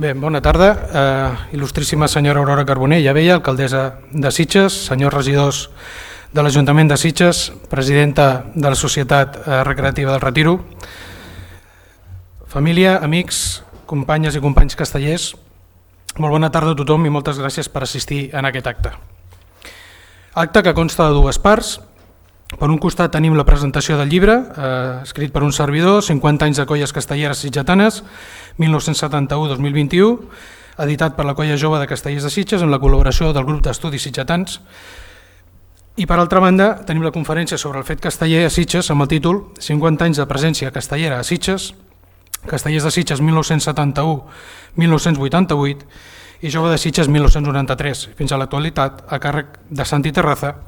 Bé, bona tarda. Il·lustríssima senyora Aurora Carbonell, ja veia, alcaldessa de Sitges, senyors regidors de l'Ajuntament de Sitges, presidenta de la Societat Recreativa del Retiro, família, amics, companyes i companys castellers, molt bona tarda a tothom i moltes gràcies per assistir en aquest acte. Acte que consta de dues parts. Per un costat tenim la presentació del llibre, escrit per un servidor, 50 anys de colles castelleres sitgetanes, 1971-2021, editat per la Colla Jove de Castellers de Sitges amb la col·laboració del grup d'estudis sitgetans. I per altra banda tenim la conferència sobre el fet casteller a Sitges amb el títol 50 anys de presència castellera a Sitges, Castellers de Sitges 1971-1988 i Jove de Sitges 1993, fins a l'actualitat a càrrec de Santi Terraza,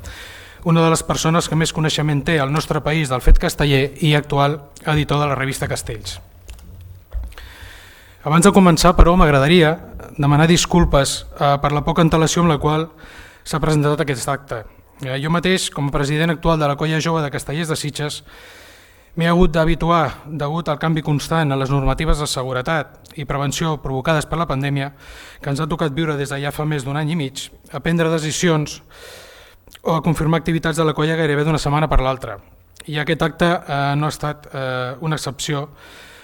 una de les persones que més coneixement té al nostre país del fet casteller i actual editor de la revista Castells. Abans de començar, però, m'agradaria demanar disculpes per la poca antelació amb la qual s'ha presentat aquest acte. Jo mateix, com a president actual de la Colla Jove de Castellers de Sitges, m'he hagut d'habituar, degut al canvi constant en les normatives de seguretat i prevenció provocades per la pandèmia, que ens ha tocat viure des de ja fa més d'un any i mig, a prendre decisions o a confirmar activitats de la colla gairebé d'una setmana per l'altra. I aquest acte no ha estat una excepció,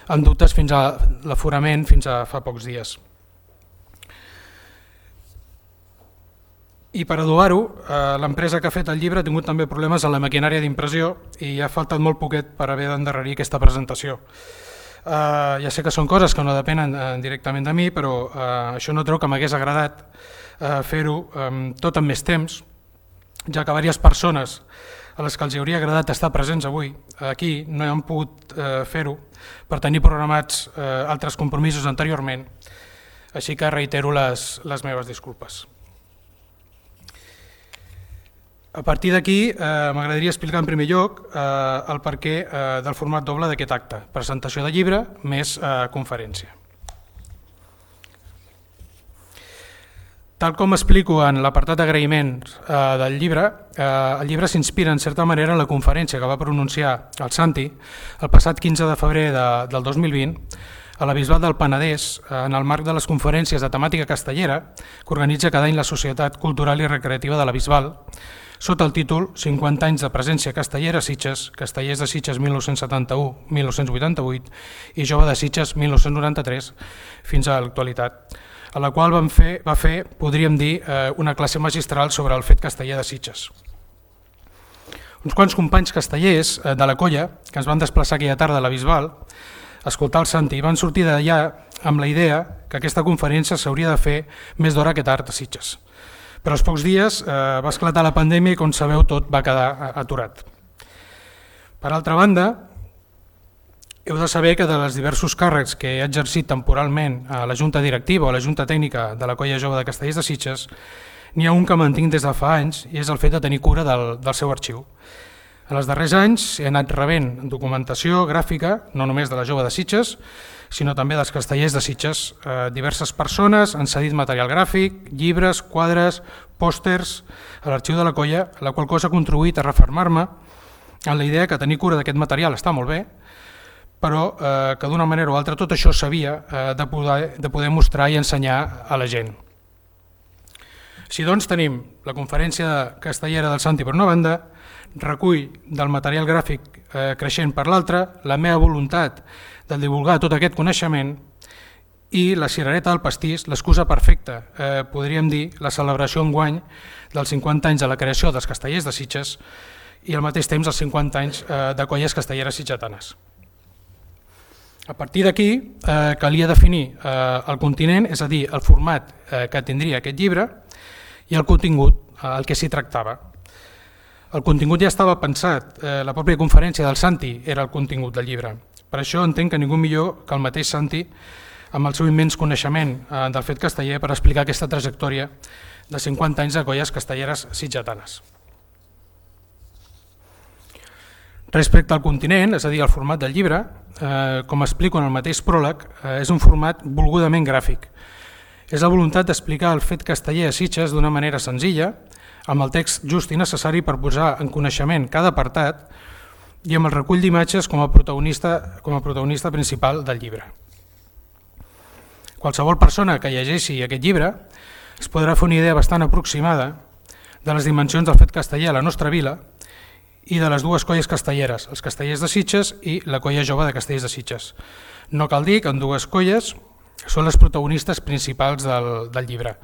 amb dubtes fins a l'aforament fins a fa pocs dies. I per adobar-ho, l'empresa que ha fet el llibre ha tingut també problemes en la maquinària d'impressió i ha faltat molt poquet per haver d'endarrerir aquesta presentació. Ja sé que són coses que no depenen directament de mi, però això no treu que m'hagués agradat fer-ho tot amb més temps, ja que diverses persones a les que els hauria agradat estar presents avui aquí no han pogut fer-ho per tenir programats altres compromisos anteriorment, així que reitero les meves disculpes. A partir d'aquí m'agradaria explicar en primer lloc el perquè del format doble d'aquest acte, presentació de llibre més conferència. Tal com explico en l'apartat d'agraïments del llibre, el llibre s'inspira en certa manera en la conferència que va pronunciar el Santi el passat 15 de febrer del 2020 a la Bisbal del Penedès en el marc de les conferències de temàtica castellera que organitza cada any la Societat Cultural i Recreativa de la Bisbal sota el títol 50 anys de presència castellera a Sitges, Castellers de Sitges 1971-1988 i Jove de Sitges 1993 fins a l'actualitat, a la qual va fer, podríem dir, una classe magistral sobre el fet casteller de Sitges. Uns quants companys castellers de la colla, que ens van desplaçar aquella tarda a la Bisbal, a escoltar el Santi, van sortir d'allà amb la idea que aquesta conferència s'hauria de fer més d'hora que tard a Sitges. Però als pocs dies va esclatar la pandèmia i, com sabeu, tot va quedar aturat. Per altra banda, heu de saber que de les diversos càrrecs que he exercit temporalment a la Junta Directiva o a la Junta Tècnica de la Colla Jove de Castellers de Sitges, n'hi ha un que mantinc des de fa anys i és el fet de tenir cura del seu arxiu. En els darrers anys he anat rebent documentació gràfica, no només de la Jove de Sitges, sinó també dels Castellers de Sitges. Diverses persones han cedit material gràfic, llibres, quadres, pòsters a l'arxiu de la colla, la qual cosa ha contribuït a refermar-me en la idea que tenir cura d'aquest material està molt bé, però que d'una manera o altra tot això s'havia de poder mostrar i ensenyar a la gent. Així doncs tenim la conferència castellera del Santi per una banda, recull del material gràfic creixent per l'altra, la meva voluntat de divulgar tot aquest coneixement i la cirereta del pastís, l'excusa perfecta, podríem dir, la celebració enguany dels 50 anys de la creació dels Castellers de Sitges i al mateix temps els 50 anys de colles castelleres sitgetanes. A partir d'aquí calia definir el continent, és a dir, el format que tindria aquest llibre i el contingut, el que s'hi tractava. El contingut ja estava pensat, la pròpia conferència del Santi era el contingut del llibre. Per això entenc que ningú millor que el mateix Santi, amb el seu immens coneixement del fet casteller, per explicar aquesta trajectòria de 50 anys de colles castelleres sitgetanes. Respecte al continent, és a dir, al format del llibre, com explico en el mateix pròleg, és un format volgudament gràfic. És la voluntat d'explicar el fet casteller a Sitges d'una manera senzilla, amb el text just i necessari per posar en coneixement cada apartat i amb el recull d'imatges com a protagonista principal del llibre. Qualsevol persona que llegeixi aquest llibre es podrà fer una idea bastant aproximada de les dimensions del fet casteller a la nostra vila i de les dues colles castelleres, els Castellers de Sitges i la Colla Jove de Castellers de Sitges. No cal dir que ambdues colles són les protagonistes principals del llibre,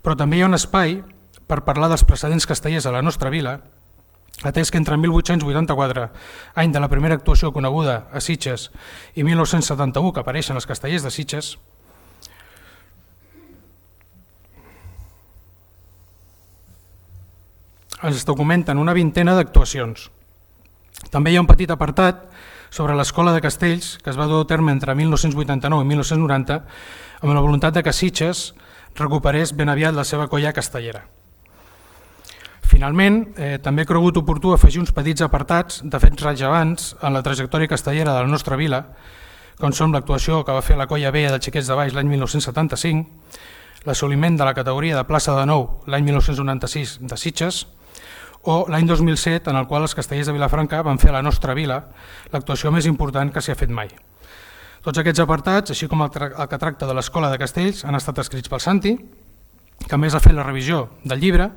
però també hi ha un espai per parlar dels precedents castellers a la nostra vila, atès que entre 1884, any de la primera actuació coneguda a Sitges, i 1971, que apareixen els Castellers de Sitges, ens documenten una vintena d'actuacions. També hi ha un petit apartat sobre l'Escola de Castells que es va dur a terme entre 1989 i 1990 amb la voluntat de que Sitges recuperés ben aviat la seva colla castellera. Finalment, també he cregut oportú afegir uns petits apartats de fets rellevants en la trajectòria castellera de la nostra vila, com són l'actuació que va fer la Colla Vella de Xiquets de Baix l'any 1975, l'assoliment de la categoria de plaça de nou l'any 1996 de Sitges, o l'any 2007 en el qual els castellers de Vilafranca van fer a la nostra vila l'actuació més important que s'hi ha fet mai. Tots aquests apartats, així com el que tracta de l'Escola de Castells, han estat escrits pel Santi, que a més ha fet la revisió del llibre,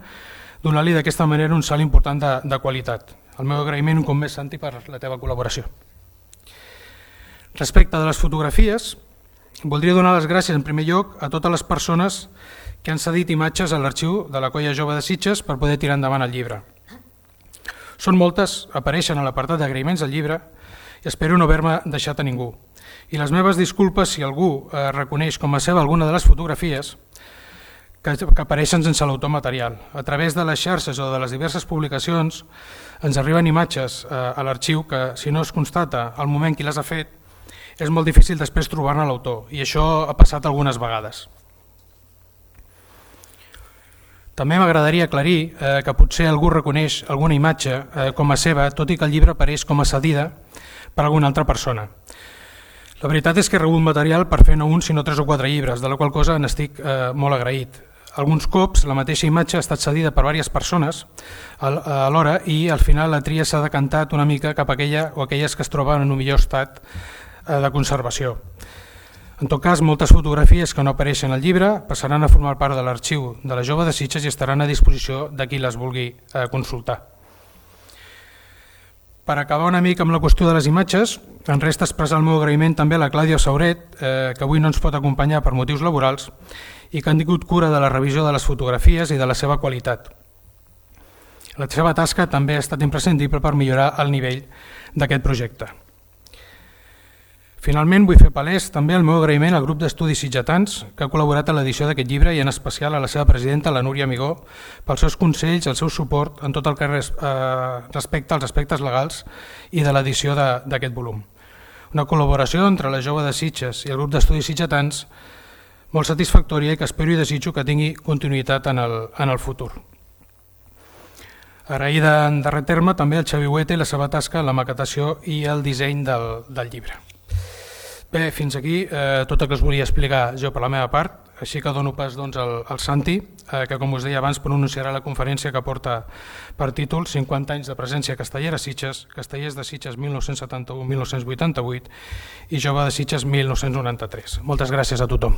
donant-li d'aquesta manera un salt important de qualitat. El meu agraïment un cop més, Santi, per la teva col·laboració. Respecte de les fotografies, voldria donar les gràcies en primer lloc a totes les persones que han cedit imatges a l'arxiu de la Colla Jove de Sitges per poder tirar endavant el llibre. Són moltes, apareixen a l'apartat d'agraïments del llibre i espero no haver-me deixat a ningú. I les meves disculpes si algú reconeix com a seva alguna de les fotografies que apareixen sense l'autor material. A través de les xarxes o de les diverses publicacions ens arriben imatges a l'arxiu que, si no es constata al moment qui les ha fet, és molt difícil després trobar-ne l'autor, i això ha passat algunes vegades. També m'agradaria aclarir que potser algú reconeix alguna imatge com a seva, tot i que el llibre apareix com a cedida per alguna altra persona. La veritat és que he rebut material per fer no un sinó 3 o 4 llibres, de la qual cosa n'estic molt agraït. Alguns cops la mateixa imatge ha estat cedida per diverses persones alhora i al final la tria s'ha decantat una mica cap a aquella o aquelles que es troben en un millor estat de conservació. En tot cas, moltes fotografies que no apareixen al llibre passaran a formar part de l'arxiu de la Jove de Sitges i estaran a disposició de qui les vulgui consultar. Per acabar una mica amb la qüestió de les imatges, em resta expressar el meu agraïment també a la Clàudia Sauret, que avui no ens pot acompanyar per motius laborals i que han tingut cura de la revisió de les fotografies i de la seva qualitat. La seva tasca també ha estat imprescindible per millorar el nivell d'aquest projecte. Finalment, vull fer palès també el meu agraïment al grup d'estudis sitgetans que ha col·laborat a l'edició d'aquest llibre i en especial a la seva presidenta, la Núria Amigó, pels seus consells, el seu suport en tot el que respecta als aspectes legals i de l'edició d'aquest volum. Una col·laboració entre la Jove de Sitges i el grup d'estudis sitgetans molt satisfactòria i que espero i desitjo que tingui continuïtat en el futur. Agraïda en darrer terme també al Xavi Huete i la seva tasca en la maquetació i el disseny del llibre. Bé, fins aquí tot el que us volia explicar jo per la meva part, així que dono pas al Santi, que com us deia abans pronunciarà la conferència que porta per títol 50 anys de presència castellera a Sitges, Castellers de Sitges 1971-1988 i Jove de Sitges 1993. Moltes gràcies a tothom.